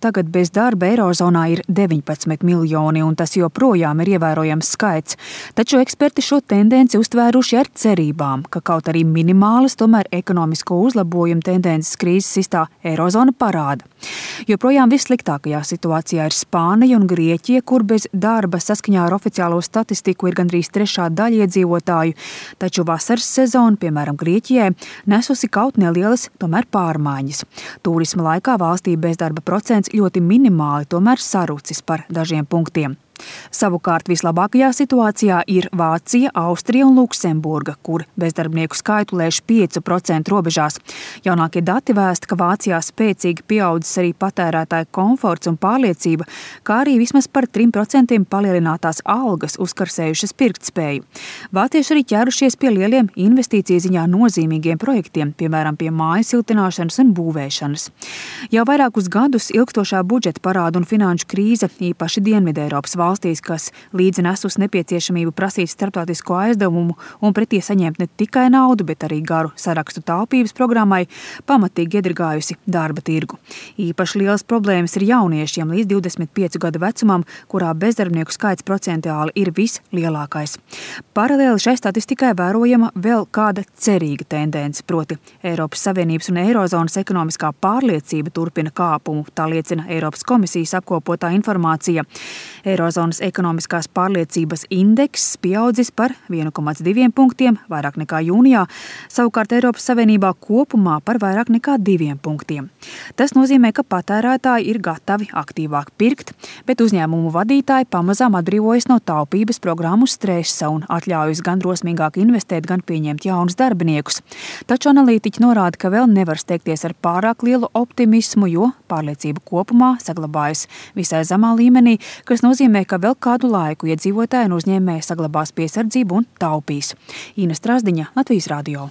tagad bez darba Eirozonā ir 19 miljoni, un tas joprojām ir ievērojams skaits. Taču eksperti šo tendenci uztvēruši ar cerībām, ka kaut arī minimālas, tomēr ekonomisko uzlabojumu tendences krīzes sistā Eirozona parāda. Joprojām vissliktākajā situācijā ir Spānija un Grieķija, kur bez darba saskaņā ar oficiālo statistiku ir gandrīz trešā daļa iedzīvotāju, taču vasaras sezona, piemēram, Grieķijai, nesusi kaut nelielas, tomēr pārmaiņas. Tūrisma laikā valstī bezdarba procents ļoti minimāli, tomēr sarucis par dažiem punktiem. Savukārt vislabākajā situācijā ir Vācija, Austrija un Luksemburga, kur bezdarbnieku skaitu lēš 5% robežās. Jaunākie dati vēsta, ka Vācijā spēcīgi pieaudzis arī patērētāju komforts un pārliecība, kā arī vismaz par 3% palielinātās algas uzkarsējušas pirktspēju. Vācieši arī ķērušies pie lieliem investīciju ziņā nozīmīgiem projektiem, piemēram, pie māju siltināšanas un būvēšanas. Jau vairākus gadus ilgstošā budžeta parādu un finanšu krīze, īpaši Dienvideiropas valstīs, kas līdzi nesus nepieciešamību prasīt starptautisko aizdevumu un pretī saņemt ne tikai naudu, bet arī garu sarakstu taupības programmai, pamatīgi iedragājusi darba tirgu. Īpaši liels problēmas ir jauniešiem līdz 25 gadu vecumam, kurā bezdarbnieku skaits procentuāli ir vislielākais. Paralēli šai statistikai vērojama vēl kāda cerīga tendence, proti Eiropas Savienības un Eirozonas ekonomiskā pārliecība turpina kāpumu, tā liecina Eiropas komisijas apkopotā informācija. Eirozonas ekonomiskās pārliecības indeks pieaudzis par 1,2 punktiem, vairāk nekā jūnijā, savukārt Eiropas Savienībā kopumā par vairāk nekā 2 punktiem. Tas nozīmē, ka patērētāji ir gatavi aktīvāk pirkt, bet uzņēmumu vadītāji pamazām atbrīvojas no taupības programmu stresa un atļaujas gan drosmīgāk investēt, gan pieņemt jaunus darbiniekus. Taču analītiķi norāda, ka vēl nevar steigties ar pārāk lielu optimismu, jo pārliecība kopumā saglabājas visai zemā līmenī, kas nozīmē, ka vēl kādu laiku iedzīvotāji un uzņēmēji saglabās piesardzību un taupīs. Ina Strasdiņa, Latvijas Radio.